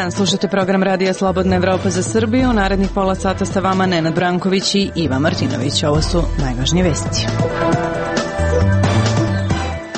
dan, slušate program Radija Slobodna Evropa za Srbiju. U narednih pola sata sa vama Nenad Branković i Iva Martinović. Ovo su najvažnije vesti.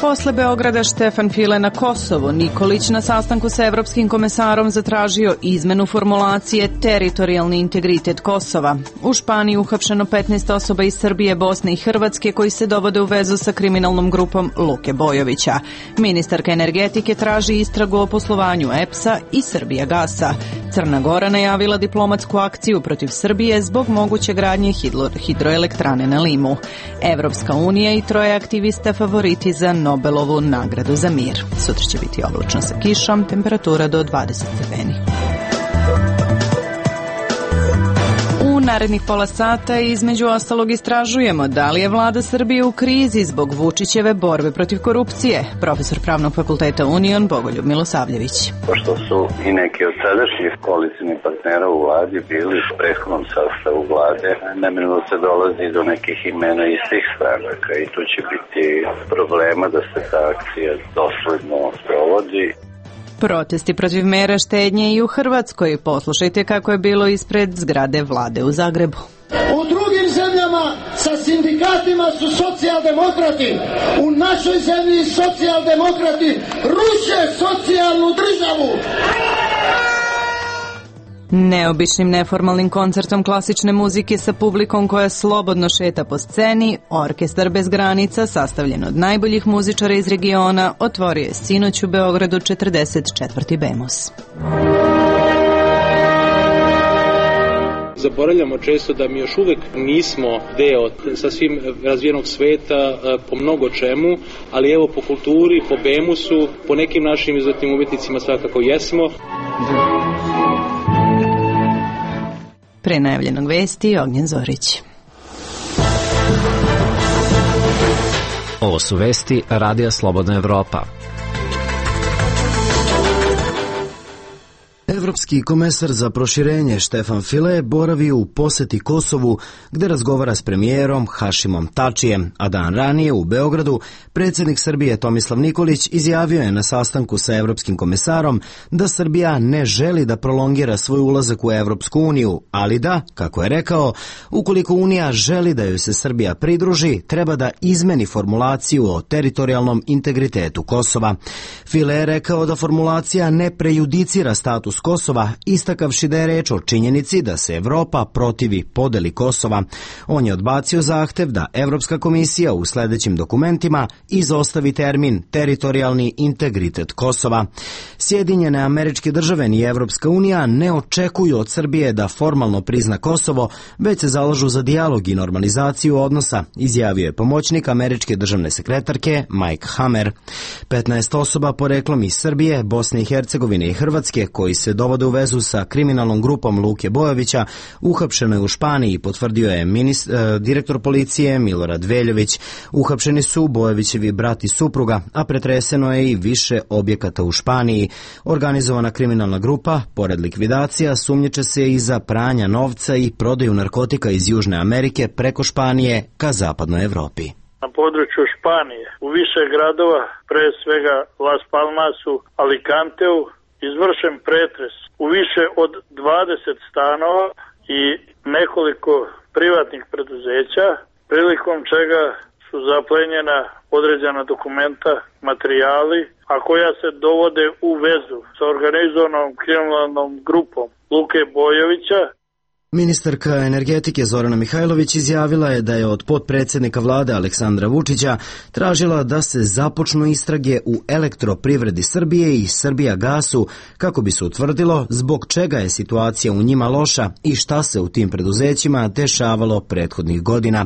Posle Beograda Štefan File na Kosovo, Nikolić na sastanku sa evropskim komesarom zatražio izmenu formulacije teritorijalni integritet Kosova. U Španiji uhapšeno 15 osoba iz Srbije, Bosne i Hrvatske koji se dovode u vezu sa kriminalnom grupom Luke Bojovića. Ministarka energetike traži istragu o poslovanju EPS-a i Srbijagasa. Crna Gora najavila diplomatsku akciju protiv Srbije zbog moguće gradnje hidroelektrane na Limu. Evropska unija i troje aktivista favoriti za Nobelovu nagradu za mir. Sutra će biti oblačno sa kišom, temperatura do 20 stepeni. U narednih pola sata između ostalog istražujemo da li je vlada Srbije u krizi zbog Vučićeve borbe protiv korupcije. Profesor Pravnog fakulteta Union Bogoljub Milosavljević. Pošto su i neki od sadašnjih koalicijnih partnera u vladi bili u prethodnom sastavu vlade, neminovno se dolazi do nekih imena iz tih stranaka i tu će biti problema da se ta akcija dosledno sprovodi. Protesti protiv mera štednje i u Hrvatskoj. Poslušajte kako je bilo ispred zgrade vlade u Zagrebu. U drugim zemljama sa sindikatima su socijaldemokrati. U našoj zemlji socijaldemokrati ruše socijalnu državu. Neobičnim neformalnim koncertom klasične muzike sa publikom koja slobodno šeta po sceni, Orkestar bez granica, sastavljen od najboljih muzičara iz regiona, otvorio je sinoć u Beogradu 44. BEMUS. Zaboravljamo često da mi još uvek nismo deo sasvim razvijenog sveta po mnogo čemu, ali evo po kulturi, po BEMUS-u, po nekim našim izuzetnim umetnicima svakako jesmo. Pre najavljenog vesti, Ognjen Zorić. Ovo su vesti Radija Slobodna Evropa. Evropski komesar za proširenje Štefan File boravi u poseti Kosovu gde razgovara s premijerom Hašimom Tačijem, a dan ranije u Beogradu predsjednik Srbije Tomislav Nikolić izjavio je na sastanku sa evropskim komesarom da Srbija ne želi da prolongira svoj ulazak u Evropsku uniju, ali da, kako je rekao, ukoliko Unija želi da joj se Srbija pridruži, treba da izmeni formulaciju o teritorijalnom integritetu Kosova. File je rekao da formulacija ne prejudicira status Kosova, istakavši da je reč o činjenici da se Evropa protivi podeli Kosova. On je odbacio zahtev da Evropska komisija u sledećim dokumentima izostavi termin teritorijalni integritet Kosova. Sjedinjene Američke Države ni Evropska unija ne očekuju od Srbije da formalno prizna Kosovo, već se zalažu za dijalog i normalizaciju odnosa, izjavio je pomoćnik američke državne sekretarke Mike Hammer. 15 osoba poreklom iz Srbije, Bosne i Hercegovine i Hrvatske koji se dovode u vezu sa kriminalnom grupom Luke Bojovića uhapšeno je u Španiji, potvrdio je direktor policije Milorad Veljović. Uhapšeni su Bojovićevi brat i supruga, a pretreseno je i više objekata u Španiji. Organizovana kriminalna grupa, pored likvidacija, sumnjiče se i za pranja novca i prodaju narkotika iz Južne Amerike preko Španije ka zapadnoj Evropi. Na području Španije, u više gradova, pre svega Las Palmasu, Alicanteu, izvršen pretres u više od 20 stanova i nekoliko privatnih preduzeća, prilikom čega su zaplenjena određena dokumenta, materijali, a koja se dovode u vezu sa organizovanom kriminalnom grupom Luke Bojovića. Ministarka energetike Zorana Mihajlović izjavila je da je od potpredsjednika vlade Aleksandra Vučića tražila da se započnu istrage u Elektroprivredi Srbije i Srbijagasu kako bi se utvrdilo zbog čega je situacija u njima loša i šta se u tim preduzećima dešavalo prethodnih godina.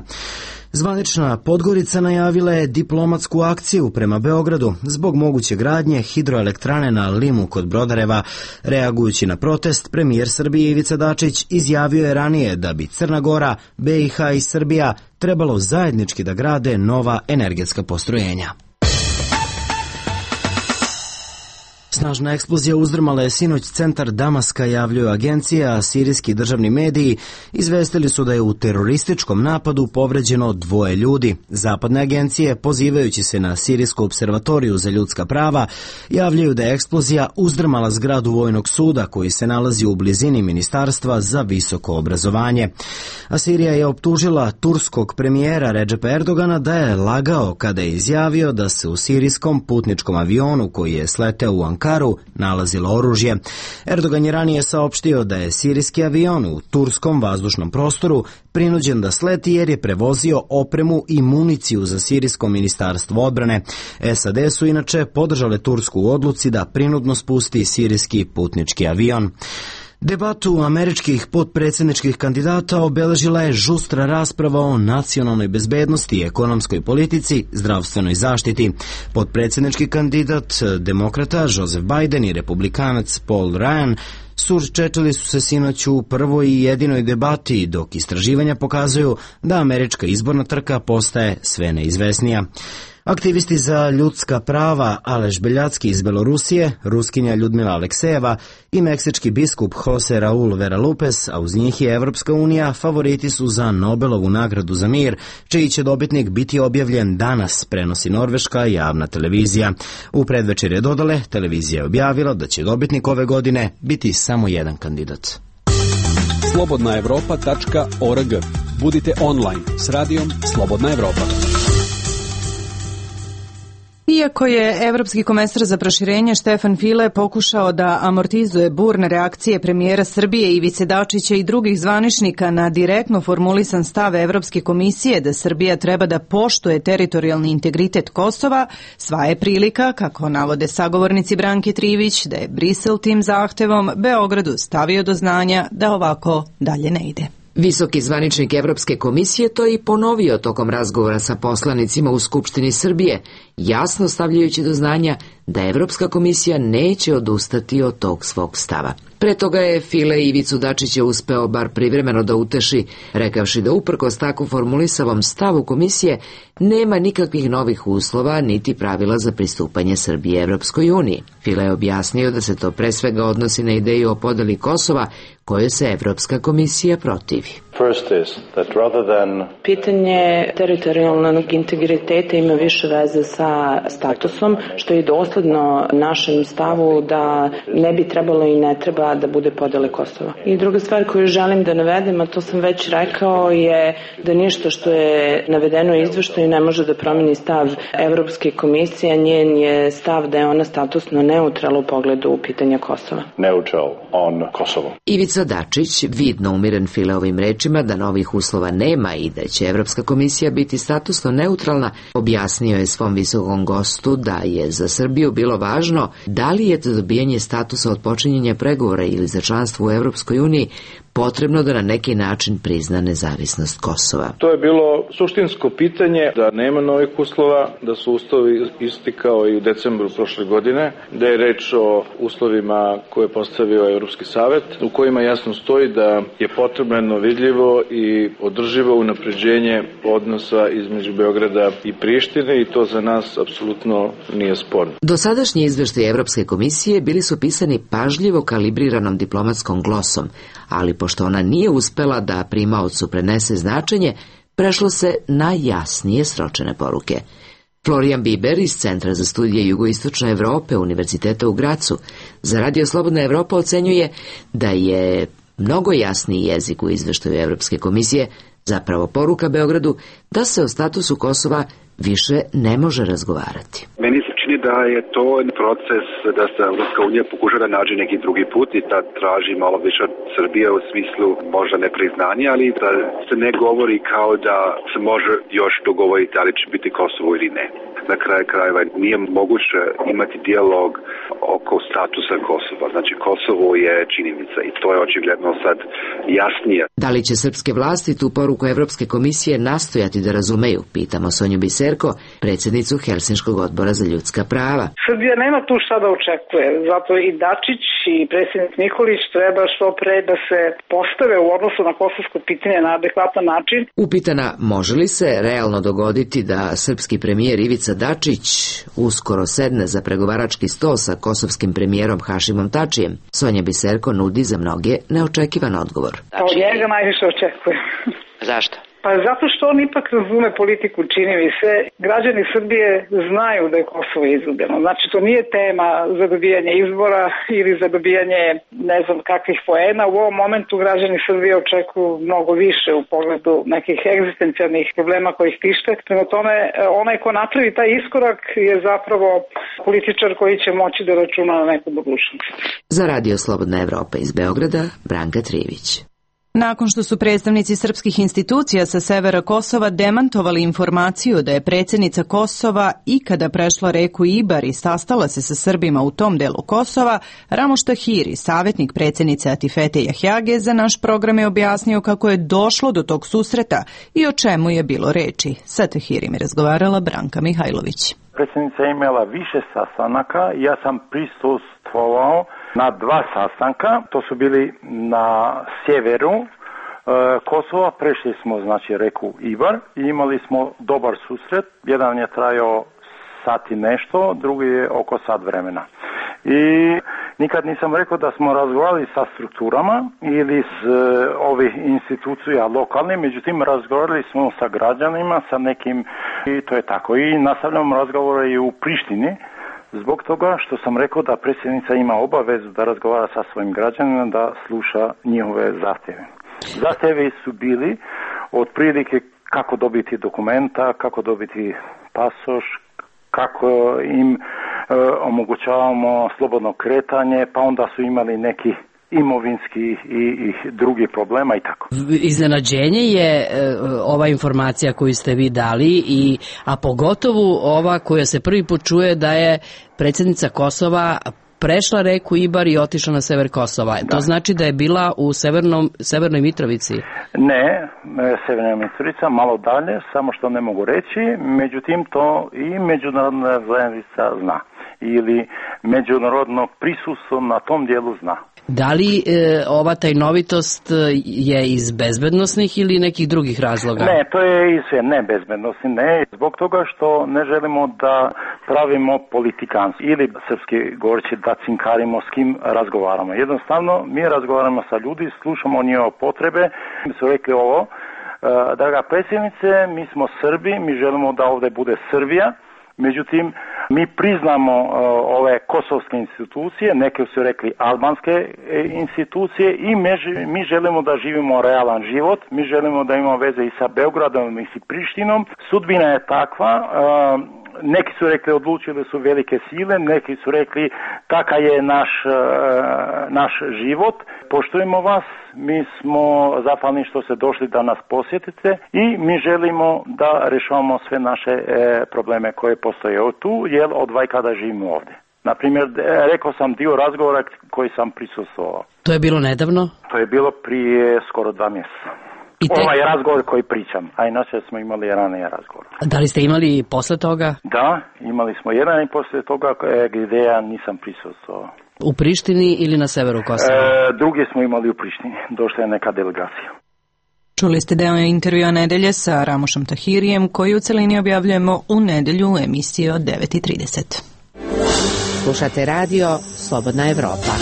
Zvanična Podgorica najavila je diplomatsku akciju prema Beogradu zbog moguće gradnje hidroelektrane na Limu kod Brodareva. Reagujući na protest, premijer Srbije Ivica Dačić izjavio je ranije da bi Crna Gora, BiH i Srbija trebalo zajednički da grade nova energetska postrojenja. Snažna eksplozija uzdrmala je sinoć centar Damaska, javljaju agencija, a sirijski državni mediji izvestili su da je u terorističkom napadu povređeno 2 ljudi. Zapadne agencije, pozivajući se na Sirijsku observatoriju za ljudska prava, javljaju da je eksplozija uzdrmala zgradu vojnog suda koji se nalazi u blizini Ministarstva za visoko obrazovanje. A Sirija je optužila turskog premijera Redžepa Erdogana da je lagao kada je izjavio da se u sirijskom putničkom avionu koji je sleteo u Ankaru nalazilo oružje. Erdogan je ranije saopštio da je sirijski avion u turskom vazdušnom prostoru prinuđen da sleti jer je prevozio opremu i municiju za sirijsko ministarstvo odbrane. SAD su inače podržale Tursku u odluci da prinudno spusti sirijski putnički avion. Debatu američkih potpredsjedničkih kandidata obeležila je žustra rasprava o nacionalnoj bezbednosti, ekonomskoj politici, zdravstvenoj zaštiti. Potpredsjednički kandidat demokrata Joseph Biden i republikanac Paul Ryan surčečili su se sinoć u prvoj i jedinoj debati, dok istraživanja pokazuju da američka izborna trka postaje sve neizvesnija. Aktivisti za ljudska prava Aleš Beljacki iz Belorusije, Ruskinja Ljudmila Aleksejeva i meksički biskup Jose Raul Vera Lupes, a uz njih je Evropska unija, favoriti su za Nobelovu nagradu za mir, čiji će dobitnik biti objavljen danas, prenosi norveška javna televizija. U predvečerje dodale, televizija je objavila da će dobitnik ove godine biti samo jedan kandidat. slobodnaevropa.org. Budite online s radijom Slobodna Evropa. Iako je evropski komesar za proširenje Štefan File pokušao da amortizuje burne reakcije premijera Srbije Ivice Dačića i drugih zvaničnika na direktno formulisan stav Evropske komisije da Srbija treba da poštuje teritorijalni integritet Kosova, sva je prilika, kako navode sagovornici Branke Trivić, da je Brisel tim zahtevom Beogradu stavio do znanja da ovako dalje ne ide. Visoki zvaničnik Evropske komisije to je i ponovio tokom razgovora sa poslanicima u Skupštini Srbije, jasno stavljajući do znanja da Evropska komisija neće odustati od tog svog stava. Pre toga je File Ivicu Dačića uspeo bar privremeno da uteši, rekavši da uprkos tako formulisavom stavu komisije nema nikakvih novih uslova niti pravila za pristupanje Srbije Evropskoj uniji. File je objasnio da se to pre svega odnosi na ideju o podeli Kosova, kojoj se Evropska komisija protivi. Pitanje teritorijalnog integriteta ima više veze sa statusom, što je dosledno našem stavu da ne bi trebalo i ne treba da bude podele Kosova. I druga stvar koju želim da navedem, a to sam već rekao, je da ništa što je navedeno u izveštaju ne može da promeni stav Evropske komisije, a njen je stav da je ona statusno neutralna u pogledu pitanja Kosova. Neutral on Kosovo. Ivica Dačić, vidno umiren Fileovim rečima da novih uslova nema i da će Evropska komisija biti statusno neutralna, objasnio je svom visokom gostu da je za Srbiju bilo važno da li je to dobijanje statusa od počinjenja pregovora ili za članstvo u Evropskoj uniji potrebno da na neki način prizna nezavisnost Kosova. To je bilo suštinsko pitanje da nema novih uslova, da su uslovi isti kao i u decembru prošle godine, da je reč o uslovima koje je postavio Evropski savet, u kojima jasno stoji da je potrebno vidljivo i održivo unapređenje odnosa između Beograda i Prištine i to za nas apsolutno nije sporno. Dosadašnji izveštaji Evropske komisije bili su pisani pažljivo kalibriranom diplomatskom glosom, ali pošto ona nije uspela da primaocu prenese značenje, prešlo se na jasnije sročene poruke. Florijan Biber iz Centra za studije jugoistočne Evrope Univerziteta u Gracu za Radio Slobodna Evropa ocenjuje da je mnogo jasniji jezik u izveštaju Evropske komisije zapravo poruka Beogradu da se o statusu Kosova više ne može razgovarati. Meni se čini da je to proces da se Evropska unija pokuša da nađe neki drugi put i da traži malo više od Srbije u smislu možda nepriznanja, ali da se ne govori kao da se može još dogovoriti ali će biti Kosovo ili ne. Na kraju krajeva nije moguće imati dijalog oko statusa Kosova. Znači Kosovo je činjenica i to je očigledno sad jasnije. Da li će srpske vlasti tu poruku Evropske komisije nastojati da razumeju, pitamo Sonju Biserko, predsjednicu Helsinškog odbora za ljudska prava. Srbija nema tu šta da očekuje, zato i Dačić i predsjednik Nikolić treba što pre da se postave u odnosu na kosovsko pitanje na adekvatan način. Upitana može li se realno dogoditi da srpski premijer Ivica Dačić uskoro sedne za pregovarački sto sa kosovskim premijerom Hašimom Tačijem, Sonja Biserko nudi za mnoge neočekivan odgovor. Od njega najviše očekujem. Zašto? Pa zato što on ipak razume politiku, čini mi se. Građani Srbije znaju da je Kosovo izgubljeno. Znači, to nije tema za dobijanje izbora ili za dobijanje ne znam kakvih poena. U ovom momentu građani Srbije očekuju mnogo više u pogledu nekih egzistencijalnih problema koji ih tište. Prema tome, onaj ko napravi taj iskorak je zapravo političar koji će moći da računa na neku budućnost. Za Radio Slobodna Evropa iz Beograda, Branka Trivić. Nakon što su predstavnici srpskih institucija sa severa Kosova demantovali informaciju da je predsjednica Kosova ikada prešla reku Ibar i sastala se sa Srbima u tom delu Kosova, Ramoš Tahiri, savjetnik predsjednice Atifete Jahjage, za naš program je objasnio kako je došlo do tog susreta i o čemu je bilo reči. Sa Tahirim je razgovarala Branka Mihajlović. Predsjednica je imala više sastanaka, ja sam prisustvovao na 2 sastanka, to su bili na sjeveru Kosova, prešli smo znači reku Ibar i imali smo dobar susret, jedan je trajao sat i nešto, drugi je oko sat vremena. I nikad nisam rekao da smo razgovarali sa strukturama ili s ovih institucija lokalnih, međutim razgovarali smo sa građanima, sa nekim i to je tako. I nastavljamo razgovore i u Prištini, zbog toga što sam rekao da predsjednica ima obavezu da razgovara sa svojim građanima, da sluša njihove zahtjeve. Zahtjevi su bili otprilike kako dobiti dokumenta, kako dobiti pasoš, kako im omogućavamo slobodno kretanje, pa onda su imali neki imovinski i drugi problema i tako. Iznenađenje je ova informacija koju ste vi dali, a pogotovo ova koja se prvi put čuje da je predsjednica Kosova prešla reku Ibar i otišla na sever Kosova. Da. To znači da je bila u Severnoj Mitrovici? Ne, Severna Mitrovica, malo dalje, samo što ne mogu reći, međutim to i međunarodna zajednica zna ili međunarodno prisustvo na tom dijelu zna. Da li ova tajnovitost je iz bezbednosnih ili nekih drugih razloga? Ne, to je sve ne bezbednosti, ne. Zbog toga što ne želimo da pravimo politikanstvo ili srpski govoreći da cinkarimo s kim razgovaramo. Jednostavno, mi razgovaramo sa ljudi, slušamo njihove potrebe. Mi su rekli ovo, draga predsjednice, mi smo Srbi, mi želimo da ovdje bude Srbija. Međutim, mi priznamo ove kosovske institucije, neke su rekli albanske institucije i mi želimo da živimo realan život, mi želimo da imamo veze i sa Beogradom i sa Prištinom. Sudbina je takva, neki su rekli odlučili su velike sile, neki su rekli takav je naš život, poštujemo vas, mi smo zahvalni što ste došli da nas posjetite i mi želimo da rješavamo sve naše probleme koje postoje tu, jer od vajkada živimo ovdje. Naprimjer, rekao sam dio razgovora koji sam prisustvovao. To je bilo nedavno? To je bilo prije skoro 2 mjeseca. Ovaj razgovor koji pričam, a inače smo imali ranije razgovor. Da li ste imali posle toga? Da, imali smo jedan i posle toga gdje ja nisam prisustvovao. U Prištini ili na severu Kosova? Drugi smo imali u Prištini, došla je neka delegacija. Čuli ste deo intervjua nedelje sa Ramošom Tahirijem, koji u celini objavljujemo u nedelju u emisiji od 9:30. Slušate radio Slobodna Evropa.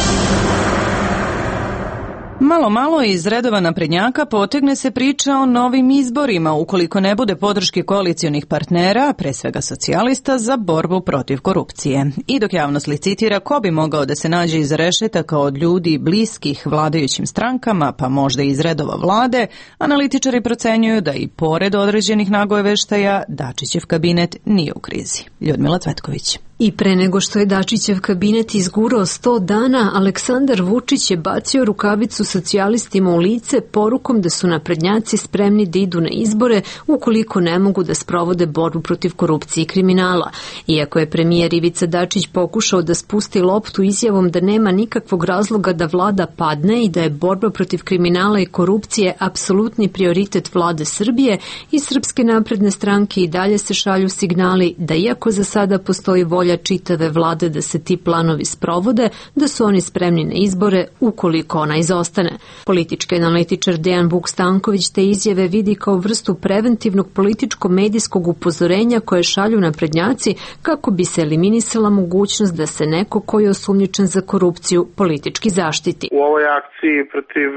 Malo iz redova naprednjaka potegne se priča o novim izborima ukoliko ne bude podrške koalicionih partnera, pre svega socijalista, za borbu protiv korupcije. I dok javnost licitira ko bi mogao da se nađe iz rešetaka od ljudi bliskih vladajućim strankama, pa možda iz redova vlade, analitičari procenjuju da i pored određenih nagojeveštaja Dačićev kabinet nije u krizi. Ljudmila Cvetković. I pre nego što je Dačićev kabinet izgurao 100 dana, Aleksandar Vučić je bacio rukavicu socijalistima u lice porukom da su naprednjaci spremni da idu na izbore ukoliko ne mogu da sprovode borbu protiv korupcije i kriminala. Iako je premijer Ivica Dačić pokušao da spusti loptu izjavom da nema nikakvog razloga da vlada padne i da je borba protiv kriminala i korupcije apsolutni prioritet vlade Srbije, i Srpske napredne stranke i dalje se šalju signali da iako za sada postoji volja volja čitave vlade da se ti planovi sprovode, da su oni spremni na izbore ukoliko ona izostane. Politički analitičar Dejan Vuk-Stanković te izjave vidi kao vrstu preventivnog političko-medijskog upozorenja koje šalju naprednjaci kako bi se eliminisala mogućnost da se neko ko je osumnjičen za korupciju politički zaštiti. U ovoj akciji protiv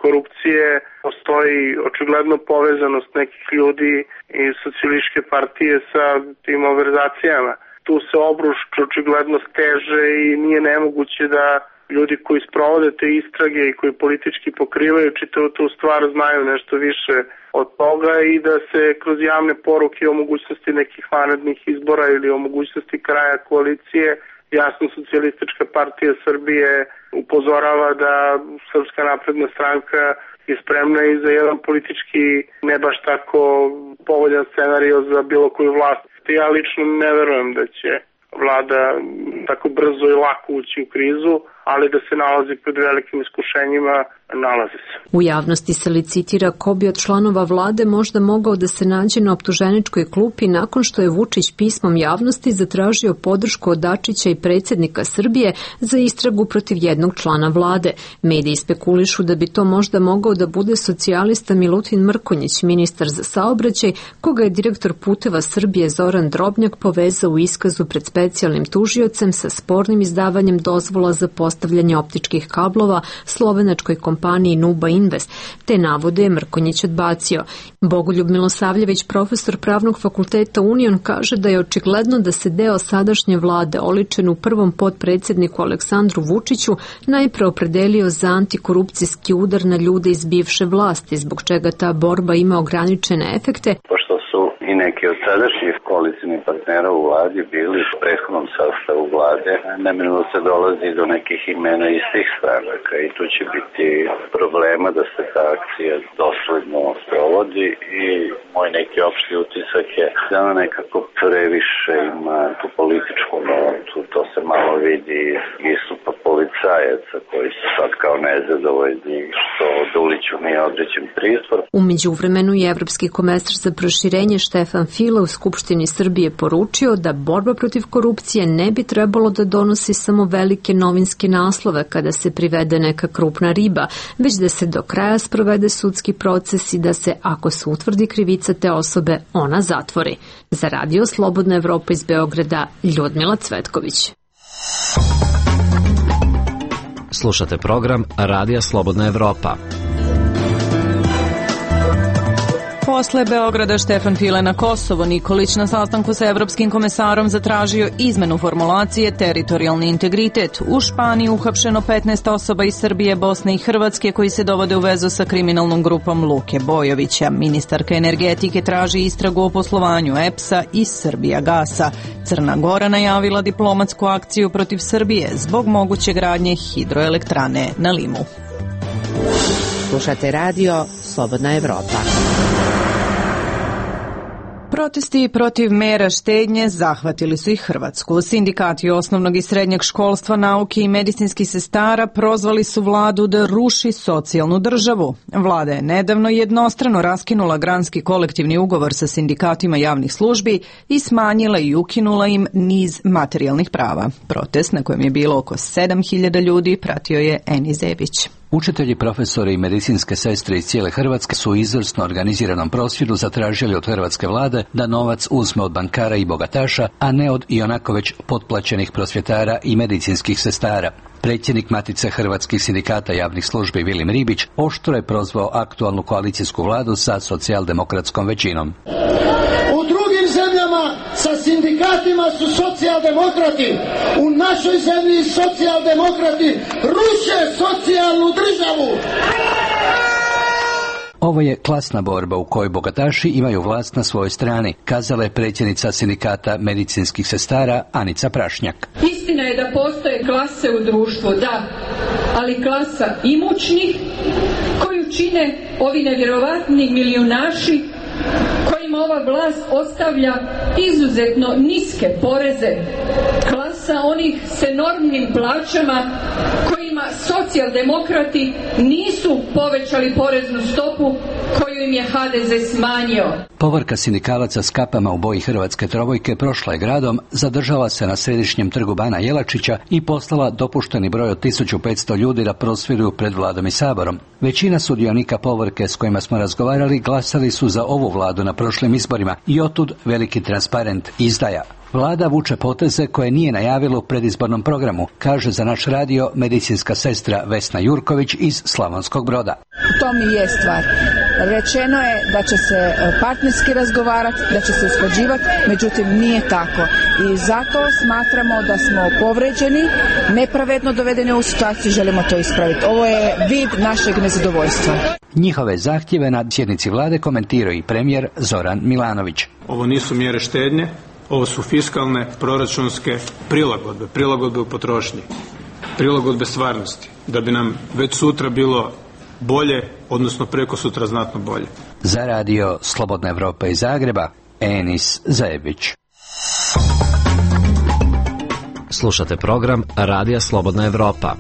korupcije postoji očigledno povezanost nekih ljudi iz socijalističke partije sa tim malverzacijama. Tu se obruč očigledno steže i nije nemoguće da ljudi koji sprovode te istrage i koji politički pokrivaju čitavu tu stvar znaju nešto više od toga i da se kroz javne poruke o mogućnosti nekih vanrednih izbora ili o mogućnosti kraja koalicije jasno socijalistička partija Srbije upozorava da Srpska napredna stranka je spremna i za jedan politički ne baš tako povoljan scenario za bilo koju vlast. Ja lično ne verujem da će vlada tako brzo i lako ući u krizu, ali da se nalazi pred velikim iskušenjima, nalazi se. U javnosti se licitira ko bi od članova vlade možda mogao da se nađe na optuženičkoj klupi nakon što je Vučić pismom javnosti zatražio podršku od Dačića i predsjednika Srbije za istragu protiv jednog člana vlade. Mediji spekulišu da bi to možda mogao da bude socijalista Milutin Mrkonjić, ministar za saobraćaj, koga je direktor Puteva Srbije Zoran Drobnjak povezao u iskazu pred specijalnim tužiocem sa spornim izdavanjem dozvola za postavljanje optičkih kablova slovenačkoj kompaniji Nuba Invest. Te navode je Mrkonjić odbacio. Bogoljub Milosavljević, profesor Pravnog fakulteta Union, kaže da je očigledno da se deo sadašnje vlade, oličen u prvom potpredsjedniku Aleksandru Vučiću, najpre opredelio za antikorupcijski udar na ljude iz bivše vlasti, zbog čega ta borba ima ograničene efekte. Pošto su i neki od sadašnjih koalicijnih partnera u vladi bili u prethodnom sastavu vlade, neminovno se dolazi do nekih imena iz tih stranaka i tu će biti problema da se ta akcija dosledno sprovodi i moj neki opšti utisak je da ona nekako previše ima tu političku notu, to se malo vidi iz istupa policajaca koji su sad kao nezadovoljni što Duliću nije određen pritvor. U međuvremenu je evropski komesar za proširenje Štefan File u Skupštini Srbije poručio da borba protiv korupcije ne bi trebalo da donosi samo velike novinske naslove kada se privede neka krupna riba, već da se do kraja sprovede sudski proces i da se, ako se utvrdi krivica te osobe, ona zatvori. Za Radio Slobodna Evropa iz Beograda, Ljudmila Cvetković. Slušate program Radija Slobodna Evropa. Posle Beograda Štefan File na Kosovo, Nikolić na sastanku sa evropskim komesarom zatražio izmenu formulacije teritorijalni integritet. U Španiji uhapšeno 15 osoba iz Srbije, Bosne i Hrvatske koji se dovode u vezu sa kriminalnom grupom Luke Bojovića. Ministarka energetike traži istragu o poslovanju EPS-a i Srbijagasa. Crna Gora najavila diplomatsku akciju protiv Srbije zbog moguće gradnje hidroelektrane na Limu. Slušate radio Slobodna Evropa. Protesti protiv mera štednje zahvatili su i Hrvatsku. Sindikati osnovnog i srednjeg školstva, nauke i medicinskih sestara prozvali su vladu da ruši socijalnu državu. Vlada je nedavno jednostrano raskinula granski kolektivni ugovor sa sindikatima javnih službi i smanjila i ukinula im niz materijalnih prava. Protest, na kojem je bilo oko 7.000 ljudi, pratio je Eni Zebić. Učitelji, profesori i medicinske sestre iz cijele Hrvatske su u izvrsno organiziranom prosvjedu zatražili od hrvatske vlade da novac uzme od bankara i bogataša, a ne od ionako već potplaćenih prosvjetara i medicinskih sestara. Predsjednik Matice hrvatskih sindikata javnih službi Vilim Ribić oštro je prozvao aktualnu koalicijsku vladu sa socijaldemokratskom većinom. U drugim zemljama sa sindikatima su socijaldemokrati. U našoj zemlji socijaldemokrati ruše socijalnu državu. Ovo je klasna borba u kojoj bogataši imaju vlast na svojoj strani, kazala je predsjednica sindikata medicinskih sestara Anica Prašnjak. Istina je da postoje klase u društvu, da, ali klasa imućnih koju čine ovi nevjerovatni milijunaši kojima ova vlast ostavlja izuzetno niske poreze, klasa onih s enormnim plaćama kojima socijaldemokrati nisu povećali poreznu stopu koju koju im je HDZ smanjio. Povorka sindikalaca s kapama u boji hrvatske trobojke prošla je gradom, zadržala se na središnjem trgu Bana Jelačića i poslala dopušteni broj od 1500 ljudi da prosvjeduju pred vladom i saborom. Većina sudionika Povorke s kojima smo razgovarali glasali su za ovu vladu na prošlim izborima i otud veliki transparent izdaja. Vlada vuče poteze koje nije najavila u predizbornom programu, kaže za naš radio medicinska sestra Vesna Jurković iz Slavonskog Broda. To mi je stvar. Rečeno je da će se partnerski razgovarati, da će se usklađivati, međutim nije tako. I zato smatramo da smo povređeni, nepravedno dovedeni u situaciju, želimo to ispraviti. Ovo je vid našeg nezadovoljstva. Njihove zahtjeve na sjednici vlade komentirao i premijer Zoran Milanović. Ovo nisu mjere štednje, ovo su fiskalne, proračunske prilagodbe u potrošnji, prilagodbe stvarnosti, da bi nam već sutra bilo bolje, odnosno preko sutra znatno bolje. Za radio Slobodna Evropa iz Zagreba, Enis Zajebić. Slušate program Radija Slobodna Evropa.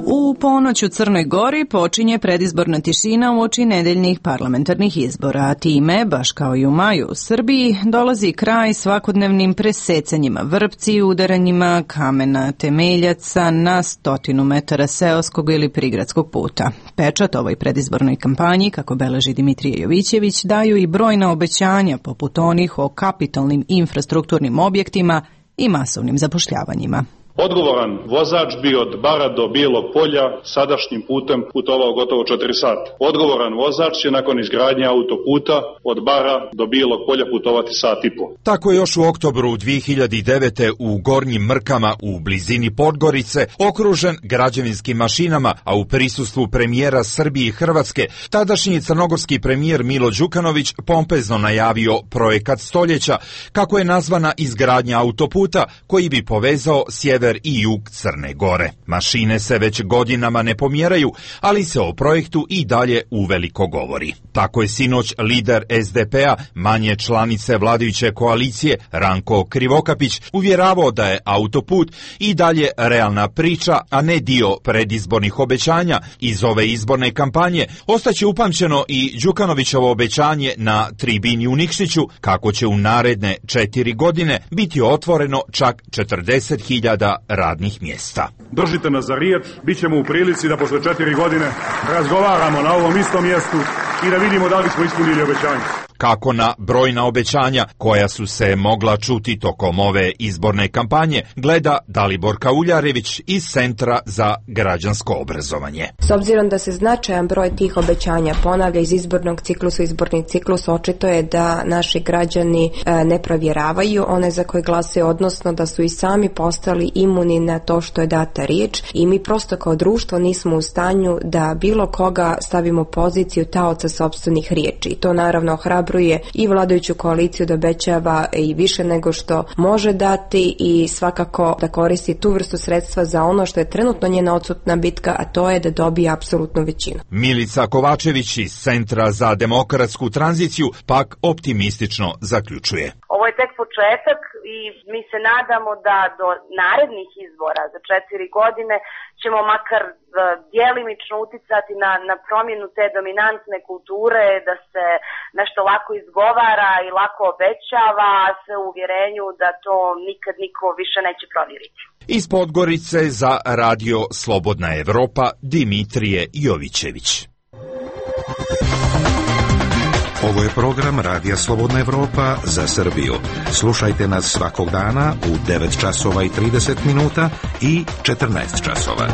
U ponoć u Crnoj Gori počinje predizborna tišina uoči nedeljnih parlamentarnih izbora, a time, baš kao i u maju u Srbiji, dolazi kraj svakodnevnim presecanjima vrpci i udaranjima kamena temeljaca na 100 metara seoskog ili prigradskog puta. Pečat ovoj predizbornoj kampanji, kako beleži Dimitrije Jovićević, daju i brojna obećanja poput onih o kapitalnim infrastrukturnim objektima i masovnim zapošljavanjima. Odgovoran vozač bi od Bara do Bijelog polja sadašnjim putem putovao gotovo 4 sata. Odgovoran vozač će nakon izgradnje autoputa od Bara do Bijelog polja putovati sat i po. Tako je još u oktobru 2009. u Gornjim Mrkama u blizini Podgorice okružen građevinskim mašinama, a u prisustvu premijera Srbije i Hrvatske tadašnji crnogorski premijer Milo Đukanović pompezno najavio projekat stoljeća, kako je nazvana izgradnja autoputa koji bi povezao sjever i jug Crne Gore. Mašine se već godinama ne pomjeraju, ali se o projektu i dalje uveliko govori. Tako je sinoć lider SDP-a, manje članice vladajuće koalicije, Ranko Krivokapić, uvjeravao da je autoput i dalje realna priča, a ne dio predizbornih obećanja. Iz ove izborne kampanje ostaće upamćeno i Đukanovićevo obećanje na tribini u Nikšiću, kako će u naredne 4 godine biti otvoreno čak 40.000 radnih mjesta. Držite nas za riječ, bit ćemo u prilici da posle 4 godine razgovaramo na ovom istom mjestu i da vidimo da li smo ispunili obećanje. Kako na brojna obećanja koja su se mogla čuti tokom ove izborne kampanje gleda Dalibor Kauljarević iz Centra za građansko obrazovanje. S obzirom da se značajan broj tih obećanja ponavlja iz izbornog ciklusa u izborni ciklus, očito je da naši građani ne provjeravaju one za koje glasaju, odnosno da su i sami postali imuni na to što je data riječ i mi prosto kao društvo nismo u stanju da bilo koga stavimo u poziciju taoca sopstvenih riječi. I to naravno ohrabruje i vladajuću koaliciju da obećava i više nego što može dati i svakako da koristi tu vrstu sredstva za ono što je trenutno njena odsutna bitka, a to je da dobije apsolutnu većinu. Milica Kovačević iz Centra za demokratsku tranziciju pak optimistično zaključuje. Ovo je tek početak i mi se nadamo da do narednih izbora za 4 godine ćemo makar djelimično uticati na promjenu te dominantne kulture, da se nešto lako izgovara i lako obećava, a sve u uvjerenju da to nikad niko više neće provjeriti. Iz Podgorice za radio Slobodna Evropa, Dimitrije Jovićević. Ovo je program Radija Slobodna Evropa za Srbiju. Slušajte nas svakog dana u 9 časova i 30 minuta i 14 časova.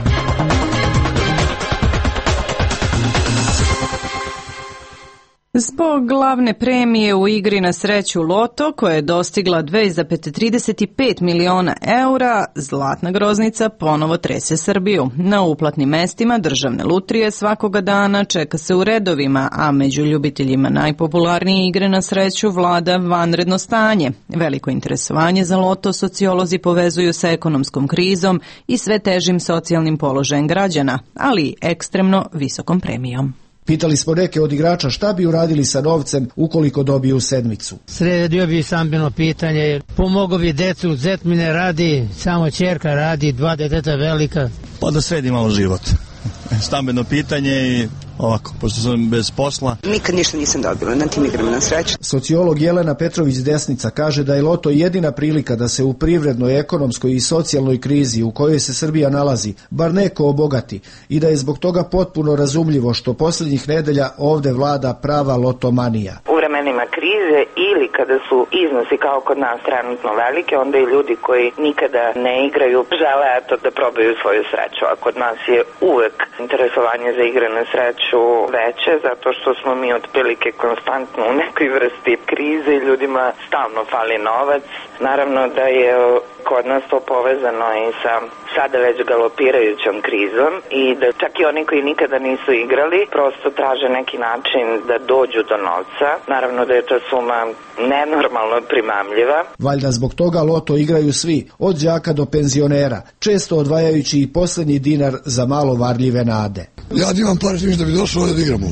Zbog glavne premije u igri na sreću Loto, koja je dostigla 2,35 miliona eura, zlatna groznica ponovo trese Srbiju. Na uplatnim mestima državne lutrije svakoga dana čeka se u redovima, a među ljubiteljima najpopularnije igre na sreću vlada vanredno stanje. Veliko interesovanje za Loto sociolozi povezuju sa ekonomskom krizom i sve težim socijalnim položajem građana, ali i ekstremno visokom premijom. Pitali smo neke od igrača šta bi uradili sa novcem ukoliko dobiju sedmicu. Sredio bi stambeno pitanje, pomogao bi decu, zet mi ne radi, samo ćerka radi, 2 deteta velika. Pa da sredi malo život. stambeno pitanje i ovako, pošto sam bez posla. Nikad ništa nisam dobila na tim igrama na sreću. Sociolog Jelena Petrović-Desnica kaže da je loto jedina prilika da se u privrednoj, ekonomskoj i socijalnoj krizi u kojoj se Srbija nalazi, bar neko obogati i da je zbog toga potpuno razumljivo što posljednjih nedelja ovde vlada prava lotomanija. U vremenima krize ili kada su iznosi kao kod nas trenutno velike, onda i ljudi koji nikada ne igraju žele da probaju svoju sreću. A kod nas je uvek interesovanje za igre na sreću veće, zato što smo mi otprilike konstantno u nekoj vrsti krize i ljudima stalno fali novac. Naravno da je kod nas to povezano i sa sada već galopirajućom krizom i da čak i oni koji nikada nisu igrali prosto traže neki način da dođu do novca. Naravno da je ta suma nenormalno primamljiva. Valjda zbog toga loto igraju svi, od đaka do penzionera, često odvajajući i posljednji dinar za malo varljive nade. Ja imam par ništa da bi došao ovdje da igramo.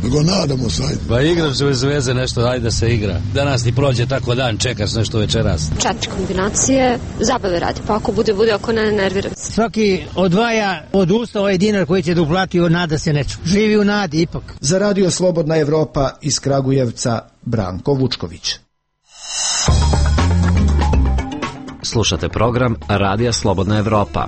Nego nadamo se, ajde. Ba igram se bez veze nešto, ajde da se igra. Danas ti prođe tako dan, čekaš nešto večeras. 4 kombinacije, zabave radi, pa ako bude, ako ne, nerviram se. Svaki odvaja od usta ovaj dinar koji će da uplati, nada se nečemu. Živi u nadi ipak. Za Radio Slobodna Evropa iz Kragujevca, Branko Vučković. Slušate program Radija Slobodna Evropa.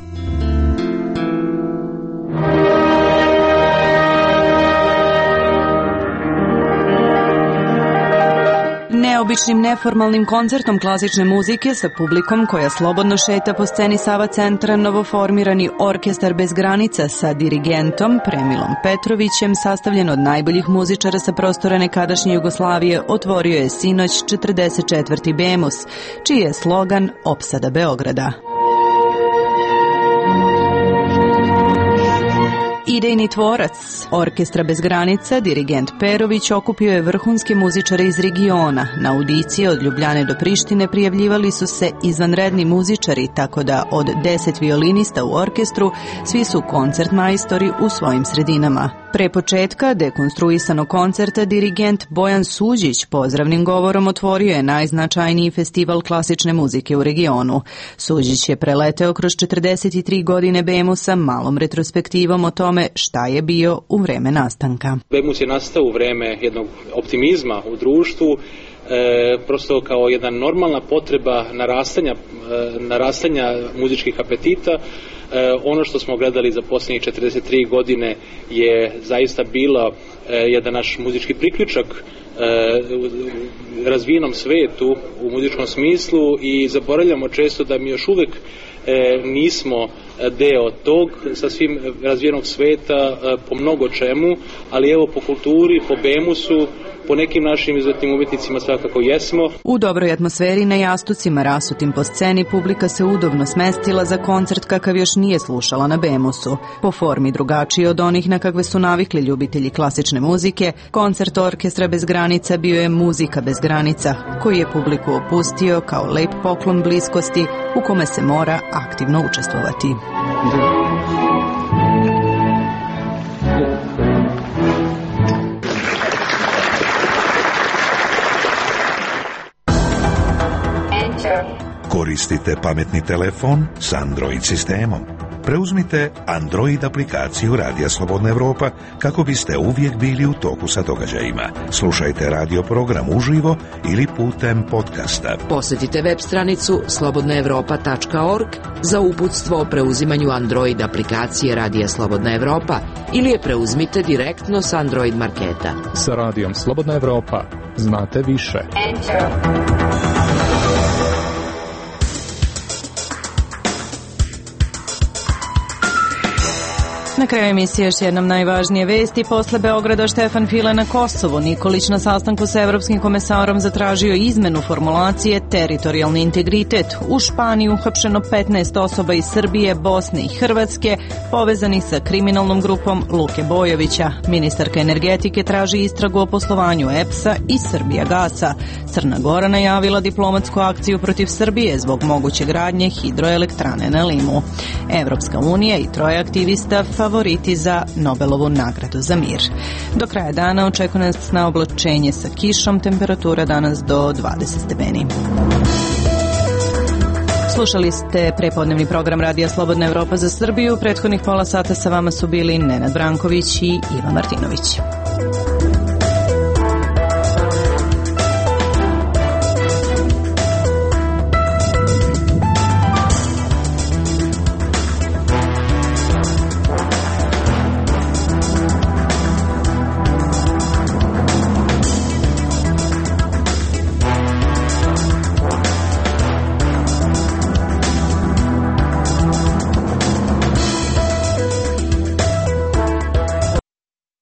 Neobičnim neformalnim koncertom klasične muzike sa publikom koja slobodno šeta po sceni Sava centra novoformirani Orkestar bez granica sa dirigentom Premilom Petrovićem, sastavljen od najboljih muzičara sa prostora nekadašnje Jugoslavije, otvorio je sinoć 44. Bemus, čiji je slogan Opsada Beograda. Idejni tvorac Orkestra bez granica, dirigent Perović, okupio je vrhunske muzičare iz regiona. Na audicije od Ljubljane do Prištine prijavljivali su se izvanredni muzičari, tako da od 10 violinista u orkestru svi su koncertmajstori u svojim sredinama. Pre početka dekonstruisanog koncerta dirigent Bojan Suđić pozdravnim govorom otvorio je najznačajniji festival klasične muzike u regionu. Suđić je preleteo kroz 43 godine Bemusa malom retrospektivom o tome šta je bio u vreme nastanka. Bemus je nastao u vreme jednog optimizma u društvu, prosto kao jedna normalna potreba narastanja muzičkih apetita. Ono što smo gledali za posljednjih 43 godine je zaista bila jedan naš muzički priključak razvijenom svetu u muzičkom smislu i zaboravljamo često da mi još uvek nismo deo tog sasvim razvijenog sveta po mnogo čemu, ali evo po kulturi, po Bemusu, po nekim našim izuzetnim umjetnicima svakako jesmo. U dobroj atmosferi na jastucima rasutim po sceni publika se udobno smestila za koncert kakav još nije slušala na Bemusu. Po formi drugačiji od onih na kakve su navikli ljubitelji klasične muzike, koncert Orkestra bez granica bio je Muzika bez granica, koji je publiku opustio kao lep poklon bliskosti u kome se mora aktivno učestvovati. Koristite pametni telefon s Android sistemom. Preuzmite Android aplikaciju Radija Slobodna Evropa kako biste uvijek bili u toku sa događajima. Slušajte radio program uživo ili putem podcasta. Posjetite web stranicu slobodnaevropa.org za uputstvo o preuzimanju Android aplikacije Radija Slobodna Evropa ili je preuzmite direktno s Android marketa. Sa Radijom Slobodna Evropa znate više. Na kraju emisije još jednom najvažnije vesti. Posle Beograda Štefan File na Kosovo. Nikolić na sastanku sa Evropskim komesarom zatražio izmenu formulacije teritorijalni integritet. U Španiji uhapšeno 15 osoba iz Srbije, Bosne i Hrvatske povezanih sa kriminalnom grupom Luke Bojovića. Ministarka energetike traži istragu o poslovanju EPS-a i Srbijagasa. Crna Gora najavila diplomatsku akciju protiv Srbije zbog moguće gradnje hidroelektrane na Limu. Evropska unija i troje aktivista favoriti za Nobelovu nagradu za mir. Do kraja dana očekuje nas na oblačenje sa kišom, temperatura danas do 20 stepeni. Slušali ste prepodnevni program Radija Slobodna Evropa za Srbiju. Prethodnih pola sata sa vama su bili Nenad Branković i Iva Martinović.